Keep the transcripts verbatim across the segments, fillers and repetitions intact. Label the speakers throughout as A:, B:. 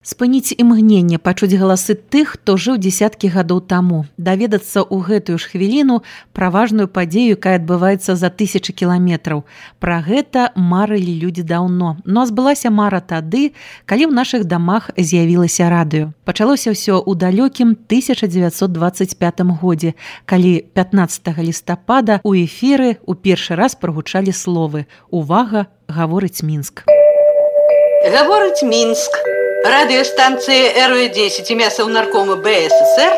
A: Спыніць імгненне, пачуць галасы тых, хто жыў дзесяткі гадоў таму, даведацца ў гэтую ж хвіліну пра важную падзею, якая адбываецца за тысячы кіламетраў. Пра гэта марылі людзі даўно. Но збылася мара тады, калі ў нашых дамах з'явілася радыё. Пачалося ўсё ў далёкім тысяча дзевяцьсот дваццаць пятым годзе, калі пятнаццатага лістапада ў эфіры ў першы раз прагучалі словы «Увага, гаворыць Мінск».
B: Гаворыць Мінск. Радыёстанцыя эр вэ дзесяць імя Саўнаркома бэ эс эс эр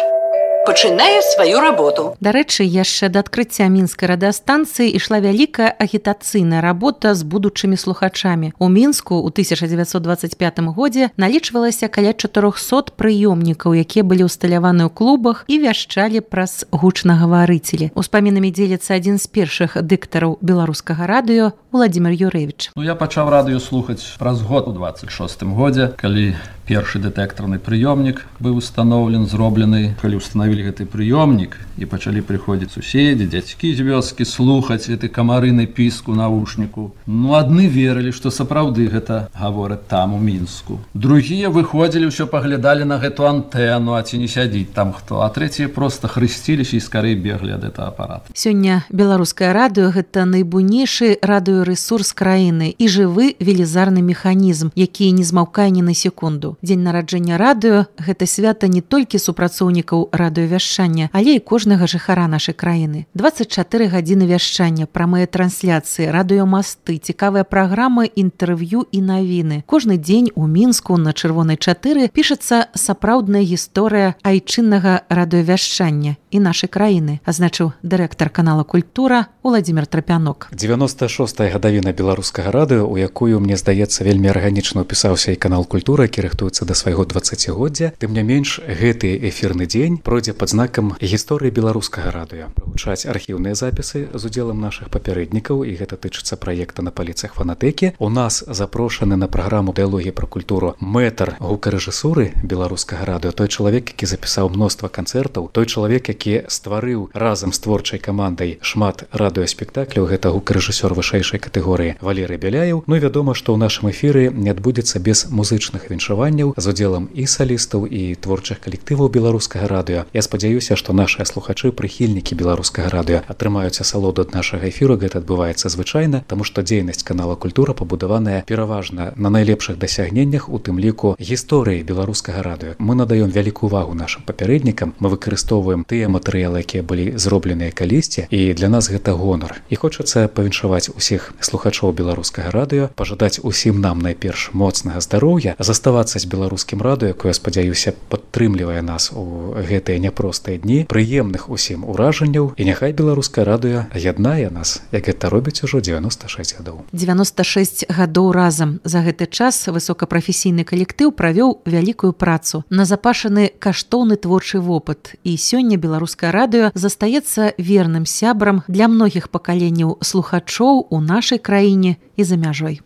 B: пачынае сваю работу.
A: Дарэчы, яшчэ да адкрыцця мінскай радыёстанцыі ішла вялікая агітацыйная работа з будучымі слухачамі. У Мінску ў тысяча дзевяцьсот дваццаць пятым годзе налічвалася каля чатырохсот прыёмнікаў, якія былі ўсталяваны ў клубах і вяшчалі праз гучнагаварыцелі. Успамінамі дзеліцца адзін з першых дыктараў беларускага радыё Владзімір Юрэвіч.
C: Ну, я пачаў радыё слухаць праз год у дваццаць шостым годзе, калі першы дэтэктарны прыёмнік быў устаноўлен, зроблены, калі установілі гэты прыёмнік і пачалі прыходзіць суседзі, дзядзькі з вёскі слухаць гэты камарыны піск у навушніку. Ну, адны верылі, што сапраўды гэта гавораць там у Мінску. Другія выходзілі, ўсё паглядалі на гэту антэну, а ці не сядзіць там хто, а трэція проста хрысціліся і скарэй беглі ад гэтага апарата.
A: Сёння беларускае радыё гэта найбуйнейшы радыёрэсурс краіны і жывы велізарны механізм, які не змаўкае ні на секунду. Дзень нараджэння радыё – гэта свята не толькі супрацоўнікаў радыёвяшчання, але і кожнага жыхара нашай краіны. дваццаць чатыры гадзіны вяшчання, прамыя трансляцыі, радыёмасты, цікавыя праграмы, інтэрв'ю і навіны. Кожны дзень у Мінску на Чырвонай чатыры пішацца сапраўдная гісторыя айчыннага радыёвяшчання і нашай краіны, азначыў дырэктар канала «Культура» Владзімір Трапянок.
D: дзевяноста шостая гадавіна беларускага радыё, у якую, мне здаецца, вельмі арганічна ўпісаўся і канал «Культура», які рыхтуецца да свайго дваццацігоддзя. Тым не менш, гэты эфірны дзень пройдзе пад знакам гісторыі беларускага радыё. Прагучаць архіўныя запісы з удзелам нашых папярэднікаў, і гэта тычыцца праекта «На паліцах фанатэкі». У нас запрошаны на праграму «Дыялогія пра культуру» мэтр гукарэжысуры беларускага радыё, той чалавек, які запісаў мноства канцэртаў, той чалавек, які стварыў разам з творчай камандай шмат радыёспектакляў, гэта гукарэжысёр вышэйшай катэгорыі Валерый Беляеў. Ну і вядома, што ў нашым эфіры не адбудзецца без музычных віншаванняў з удзелам і салістаў, і творчых калектываў беларускага радыё. Я спадзяюся, што нашыя слухачы, прыхільнікі беларускага радыё атрымаюць асалоду ад нашага эфіру. Гэта адбываецца звычайна, таму што дзейнасць канала «Культура» пабудаваная пераважна на найлепшых дасягненнях, у тым ліку гісторыі беларускага радыё. Мы надаём вялікую увагу нашым папярэднікам, мы выкарыстоўваем тыя матэрыялы, якія былі зробленыя калісьці, і для нас гэта гонар. І хочацца павіншаваць усіх слухачоў беларускага радыё, пажадаць усім нам найперш моцнага здароўя, заставацца з беларускім радыё, якое, спадзяюся, падтрымлівае нас у гэтыя няпростыя дні, прыемных усім уражанняў, і няхай беларускае радыё яднае нас, як гэта робіць ужо дзевяноста шэсць гадоў.
A: дзевяноста шэсць гадоў разам. За гэты час высокапрафесійны калектыў правёў вялікую працу, назапашаны каштоўны творчы вопыт, і сёння беларускае радыё застаецца верным сябрам для многіх пакаленняў слухачоў у нашай краіне і за мяжой.